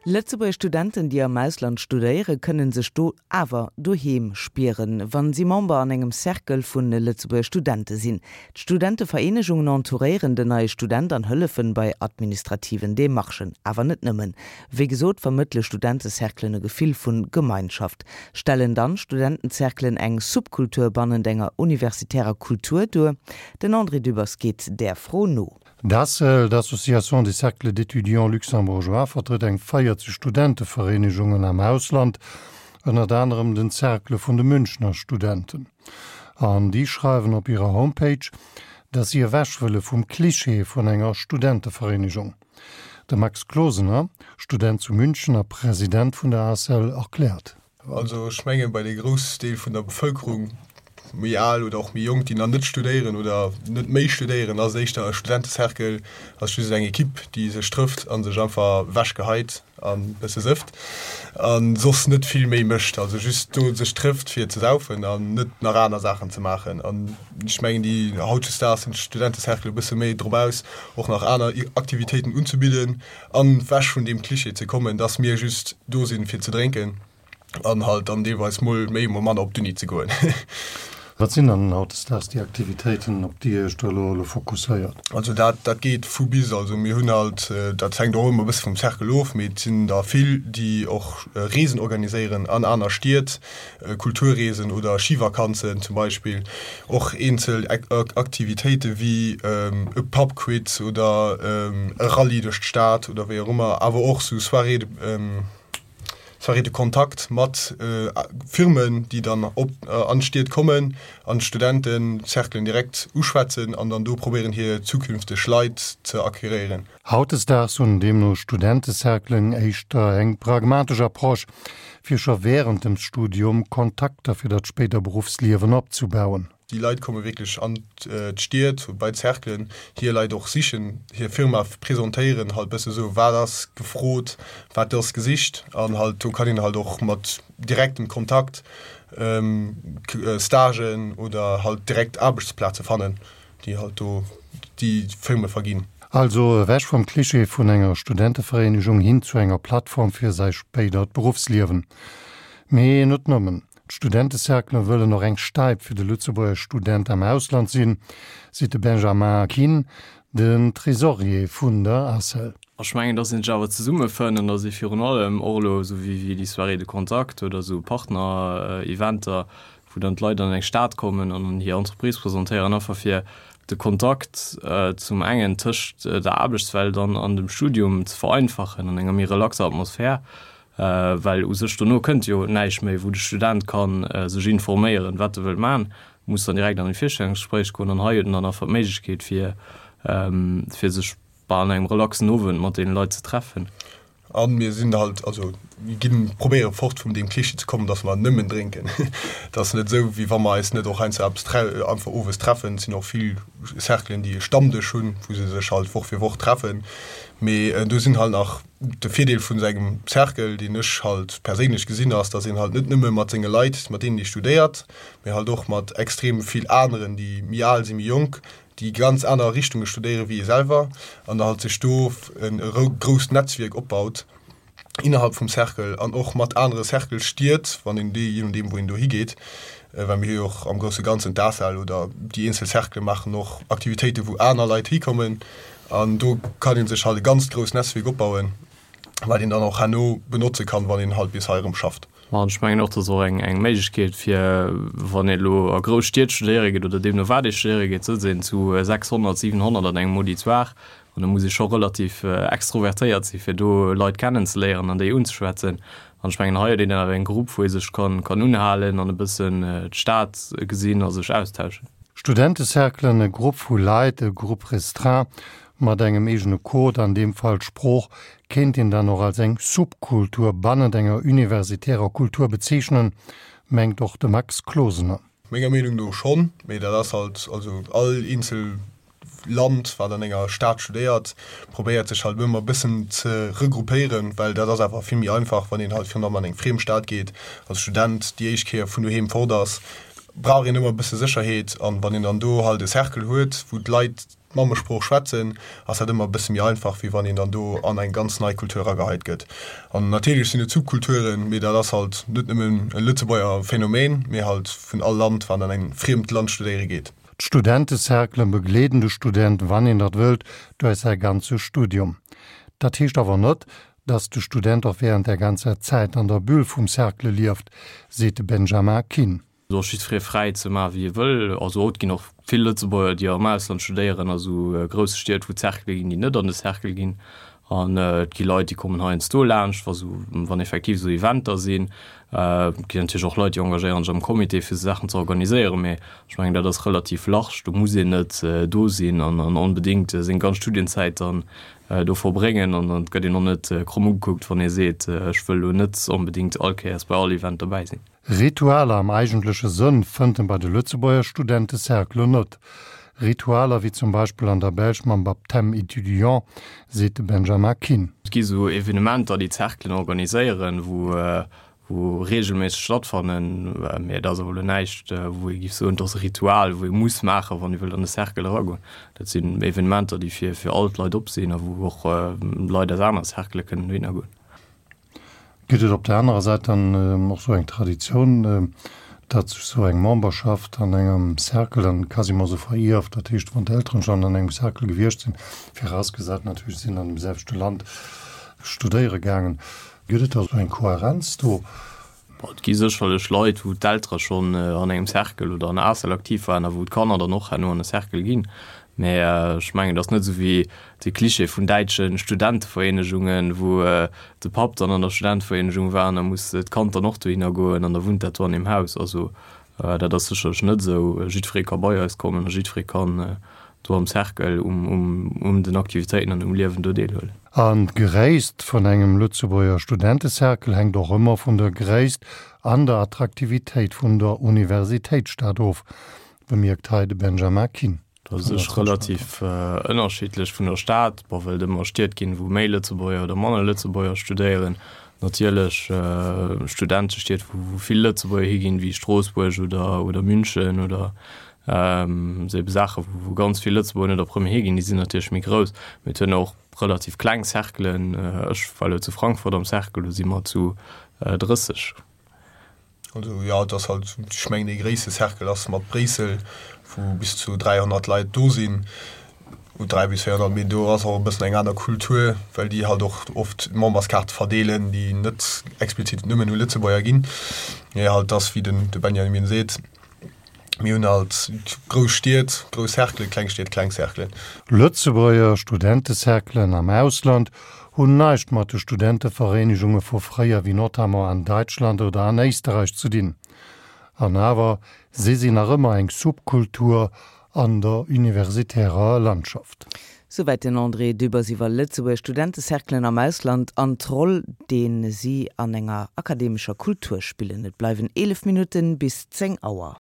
Lëtzebuerger Studenten, déi am Ausland studéieren, kënnen sech do awer doheem spieren, wann si Member an engem Cercle vun Lëtzebuerger Studente sinn. D'Studentevereenegungen entouréieren den neie Student an hëllefen bei administrativen Demarchen. Awer net nëmmen. Wéi gesot vermëttele Studentecerclen e Gefill vun Gemeinschaft. Stellen dann Studentencerclen eng Subkultur bannent enger universitärer Kultur duer? Den André Dübbers geet där Fro no. D'ACEL, d'Association des Cercles d'étudiants luxembourgeois, vertrëtt eng 40 Studentevereenegungen am Ausland, ënnert anerem den Cercle vun de Münchner Studenten. An déi schreiwen op hirer Homepage, datt si ewech wëlle vum Klischee vun enger Studentevereenegung. De Max Closener, Student zu München a President vun der ACEL, erkläert. Also ech mengen, bei de Groussdeel vun der Bevëlkerung, méi al oder och méi jonk, déi nach net studéieren oder net méi studéieren, ass et éischter e Studentecercle, ass just eng Ekipp, déi sech trëfft a sech einfach ewechgeheit an e bësse sëfft a soss net vill méi mécht. Also just do sech trëfft fir ze saufen an net nach aner Saachen ze maachen. An ech mengen, déi hautdesdaags sinn d'Studentecercle e bësse méi drop aus, och nach aner Aktivitéiten unzebidden, An wech vun deem Klischee ze kommen, dass mir just do sinn fir ze drénken an halt dann deelweis mol méi mol manner op d'Uni ze goen. Wat sinn dann hautdesdaags déi Aktivitéiten, op déi Dir Iech do elo elo fokusséiert? Also dat dat geet vu bis. Also mir hunn halt, dat hänkt och ëmmer e bësse vum Cercle of, mee et sinn der vill, déi och Reesen organiséieren an aner Stied, Kulturreesen oder Schivakanzen zum Beispill, och eenzel Aktivitéite wéi e Pubquiz oder e Rallye duerch d'Stad oder wéi och ëmmer, awer och sou Soirée de, Soirée de contact mat Firmen, déi dann op an d'Stied kommen an d'Studentencerclen direkt uschwätzen an dann do probéieren hir zukünfteg Leit ze acqueréieren. Hautdesdaags hunn deemno Studentecerclen éischter eng pragmatesch Approche, fir scho wärend dem Studium Kontakter fir dat spéider Beruffsliewen opzebauen. Déi Leit komme wierklech an d'Stied, bei d'Cerclen, hir Leit och sichen, hir Firma presentéieren, halt bësse sou, wat ass gefrot, wat ass gesicht an halt do kann een halt och mat direktem Kontakt Stagen oder halt direkt Aarbechtsplaze fannen. déi halt do déi Firme verginn. Also ewech vum Klischee vun enger Studentevereenegung hin zu enger Plattform fir säi spéidert Beruffsliewen. Mee net nëmmen. D'Studentecerclen wëllen och eng Stäip fir de Lëtzebuerger Student am Ausland sinn, seet de Benjamin Kihn, den Tresorier vun der ACEL. Ech mengen, dass een sech awer zesummefënnt an dass ee virun allem och elo, esou wéi déi Soirée de contact oder esou Partner-Eventer, wou dann d'Leit an eng Stad kommen an hir Entreprise presentéieren, einfach fir de Kontakt zum engen tëscht der Aarbechtswelt an an dem Studium ze vereinfachen an enger méi relaxer Atmosphär, well u sech dono kënnt jo näischt méi, wou de Student ka sech informéieren, wat e wëllt maachen, muss dann direkt an e Virstellungsgespréich goen an hei huet en dann einfach d'Méiglechkeet fir fir sech an engem relaxen Owend mat deene Leit ze treffen. A mir sinn halt, also mir ginn, probéiere fort vun deem Klischee ze kommen, dass mer nëmmen drénken. Et ass net esou, wéi wa mer eis net och heiansdo eppes tre einfach owes treffen. Et sinn och vill Cerclen, déi e Stammdësch hunn, wou se sech halt Woch fir Woch treffen. Mee do sinn halt nach, de Virdeel vun esou engem Cercle, deen ech halt perséinlech gesinn, ass, dass een halt net nëmme mat senge Leit, mat deenen ee studéiert, mee halt och mat extrem vill aneren, déi méi al sinn, méi jonk, déi ganz aner Richtunge studéiere wéi ee selwer an da halt sech do e grousst Netzwierk opbaut innerhalb vum Cercle an och mat anere Cercle Stied, wann een déi, je nodeem wou een do higeet, well mir hu jo och am grousse Ganzen d'ACEL oder déi eenzel Cerclë maachen och Aktivitéite wou aner Leit hikommen an do kann ee sech halt e ganzt grousst Netzwierk opbauen, wat een dann och herno benotze kann, wann een halt bis hei erëm schafft. An ech mengen och, dat ass och eng, eng Méiglechkeet, fir wann ee elo a grouss Stied studéiere geet oder deemno wat ee studéiere geet, sëtzt een zu 600, 700 an engem Auditoire an da muss ee scho relativ extrovertéiert si fir do Leit kennenzeléieren an déi unzeschwätzen. An ech mengen, hei huet een dann awer eng Grupp, wou ee sech kann, kann unhalen an e bëssen d'Stad gesinn a sech austauschen. Studentecerclen, e Grupp vu Leit, e Groupe restreint, Mat engem eegene Code, an deem Fall d'Sprooch, kéint een dann och als eng Subkultur bannent enger universitärer Kultur bezeechnen, mengt och de Max Closener. Menger Meenung no schonn, mee dat ass halt, also all eenzel Land, wat an enger Stad studéiert, probéiert sech halt ëmmer e bëssen ze regroupéieren, well dat ass awer vill méi einfach, wann een halt virun allem an eng friem Stad geet als Student, déi éischt Kéier vun doheem fort ass, brauch een ëmmer e bësse Sécherheet an wann een dann do halt e Cercle huet, wou d'Leit. d'Mammesprooch schwätzen, ass dat ëmmer e bësse méi einfach, wéi wann een dann do an eng ganz nei Kultur erageheit gëtt. An natierlech sinn et Subkulturen, mee dat ass halt net nëmmen e Lëtzebuerger Phänomen, mee halt vun all Land, wann an en friemt Land studéiere geet. D'Studentecerclen begleeden de Student, wann een dat wëllt, duerch säi ganze Studium. Dat heescht awer net, dass de Student och während där ganzer Zäit an der Bulle vum Cercle lieft, seet de Benjamin Kinn. Do ass jiddweree fräi ze maachen, wéi e wëll. Also haut ginn och vill Lëtzebuerger, déi am Ausland studéieren, a sou grousse Stied, wou d'Cerclë ginn, déi net an de Cercle ginn. An et gi Leit, déi kommen heiansdo laanscht, wa sou, wann effektiv sou Eventer sinn. Et ginn natierlech och Leit, déi engagéieren sech am Comité, fir sou Saachen ze organiséieren. Mee ech mengen, dat ass relativ large. Do muss een net do sinn an onbedéngt seng ganz Studienzäit dann do verbréngen. An et gëtt een och net kromm ugekuckt, wann ee seet, ech wëll elo net onbedéngt all Kéiers bei all Event dobäi sinn. Ritualer am eigentleche Sënn fënnt en bei de Lëtzebuerger Studentecerclen net. Ritualer wéi zum Beispill an der Belsch mam Baptême étudiant, seet de Benjamin Kinn. Et gi sou Evenementer, déi d'Cerclen organiséieren, wou wou reegelméisseg stattfannen, mee et ass awer elo näischt, wou ee géif soen, et ass e Ritual, wou ee muss maachen, wann ee wëllt an de Cercle eragoen. Dat sinn Evenementer, déi fir fir all d'Leit op sinn a wou och Leit aus anere Cerclë kënnen dohinner goen. Gëtt et op der anerer Säit dann och sou eng Traditioun, datt sech sou eng Memberschaft an engem Cercle dann quasiment sou verierft? Dat heescht, wann d'Elteren schonn an engem Cercle gewiescht sinn, virausgesat natierlech, si sinn an dem selwechte Land studéiere gaangen, gëtt et da sou eng Kohärenz do? Bon, et gi sécherlech Leit, wou d'Eltere schonn an engem Cercle oder an der ACEL aktiv waren a wou d'Kanner dann och herno an e Cercle ginn. Mä ech mengen, et ass net esou wéi de Klischee vun däitsche Studentevereenegungen, wou de Papp dann an der Studentevereenegung war an da muss d'Kand dann och dohinner goen an da wunnt dat do an deem Haus. Also dat ass sécherlech net esou. Jiddweree ka bei eis kommen a jiddweree kann do am Cercle um den Aktivitéiten an um Liewen do deelhuelen. An d'Gréisst vun engem Lëtzebuerger Studentecercle hänkt och ëmmer vun der Gréisst an der Attraktivitéit vun der Universitéitsstad of, bemierkt hei de Benjamin Kinn. Dat ass sech relativ ënnerschiddlech vun der Stad, bon, well et ëmmer Stied ginn, wou méi Lëtzebuerger oder manner Lëtzebuerger studéieren. Natierlech Studentestied, wou vill Lëtzebuerger higinn, wéi Stroossbuerg oder oder München oder Esou ebe Saachen, wou ganz vill Lëtzebuerger net op Premier higinn, déi sinn natierlech méi grouss. Mee et hunn och relativ kleng Cerclen. Ech war elo zu Frankfurt am Cercle, do si mer zu 30. Also jo, et ass halt, ech mengen dee gréisste Cercle ass mat Bréissel, wou bis zu 300 Leit do sinn, 300 bis 400, mee do ass och e bëssen eng aner Kultur, well déi halt och oft Memberskaarte verdeelen, déi net explizit nëmmen u Lëtzebuerger ginn. Mee halt, et ass wéi den de Benjamin seet, Mir hunn halt grouss Stied, grouss Cerclen, kleng Stied, kleng Cerclen. Lëtzebuerger Studentecerclen am Ausland hunn näischt mat de Studentevereenegunge vu fréier wéi notamment an Däitschland oder an Éisterräich ze dinn. An awer, si sinn nach ëmmer eng Subkultur an der universitärer Landschaft. Souwäit den André Dübbers iwwer Lëtzebuerger Studentecerclen am Ausland an d'Roll, dee si an enger akademescher Kultur spillen. Et bleiwen 11 Minutten bis 10 Auer.